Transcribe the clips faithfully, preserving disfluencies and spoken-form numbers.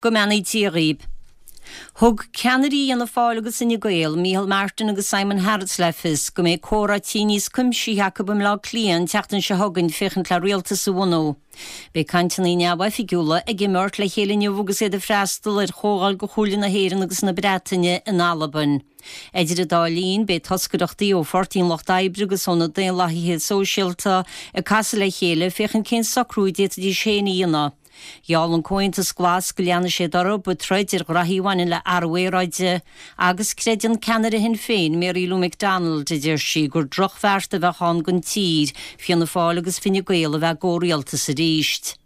Go mbeannaí Dia dhaoibh. Thug ceannairí Fhianna Fáil agus Fhine Gael, Micheál Martin agus Simon Harris le fios go mbeidh comhráití níos cuimsithí acu i mBaile Átha Cliath an tseachtain seo chugainn féachaint le rialtas a bhunú. Beidh cainteanna neamhoifigiúla ag imeacht le chéile inniu agus iad ag freastal ar chomhdháil de Chomhairle na hÉireann agus na Breataine in Albain. Idir an dá linn beidh toscaireachtaí ó Pháirtí an Lucht Oibre agus ó na Daonlathaithe Sóisialta ag casadh le chéile féachaint cén socrú a d'fhéadfaidís féin a dhéanamh. Gheall an Comhaontas Glas go leanfaidh siad orthu ag troid ar ghraithí a bhaineann le athrú aeráide agus creideann ceannaire Shinn Féin Mary Lou McDonald a deir sí gur drochbheart a bheadh ann don tír Fianna Fáil agus Fine Gael a bheith i gcomhrialtas arís.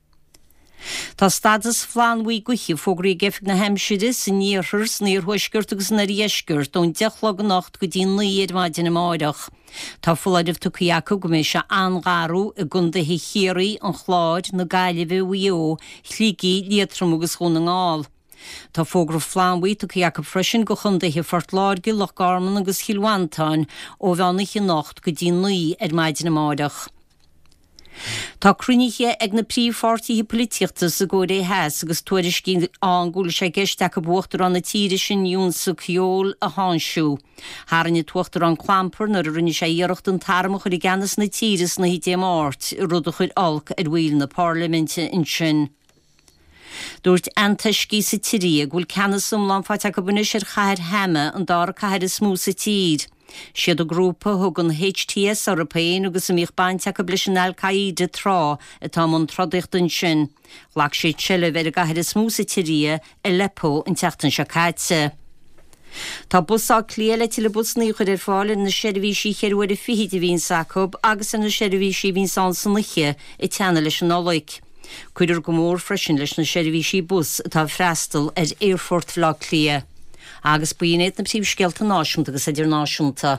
Tá stádas flannbhuí gaoithe fógraithe ag Oifig na hAimsire san iarthar san iarthuaisceart agus san oirdheisceart ón deich a chlog anocht go dtí naoi ar maidin amárach. Tá foláireamh tugtha acu go mbeidh sé an-gharbh i gcontaetha Chiarraí, an Chláir, na Gaillimhe, Mhaigh Eo, Shligigh, Liatroim agus Dhún na nGall. Tá fógra flannbhuí tugtha acu freisin go chontaetha Phort Láirge, Loch Garman agus Chill Mhantáin ó mheán oíche anocht go dtí naoi ar maidin amárach. Tá cruinnithe ag na príomhpháirtithe polaitíochta sa gCóiré Theas agus tuairiscí ann go bhfuil sé i gceist acu uachtarán na tíre sin Yoon Suk Yeol a tháinseamh. Tharraing an t-uachtarán clampar nuair a rinne sé iarracht an t-arm a chur i gceannas na tíre san oíche Dé Máirt, rud a chuir olc ar bhaill na parlaiminte ansin. Dúirt antoiscigh sa tSiria go bhfuil ceannas iomlán faighte acu anois ar chathair Hama an dara cathair is mó sa tír. Siad an grúpa a thugann HTS orthu féin agus a mbíodh baint acu leis an Al-Qaeda tráth atá i mbun trodaíochta ansin. Ghlac siad seilbh ar an gcathair is mó sa tSiria, Aleppo an tseachtain seo caite. Tá Bus Átha Cliath le tuilleadh busanna a chur ar fáil ar na seirbhísí ceithre huaire fichid a bhíonns acu agus ar na seirbhísí a bhíonns ann san oíche ag teannadh leis an Nollaig. Cuirfear go mór freisin leis na seirbhísí bus atá ag freastal ar Aerfort Bhaile Átha Cliath. Agus b'in iad na príomhscéalta náisiúnta agus idirnáisiúnta.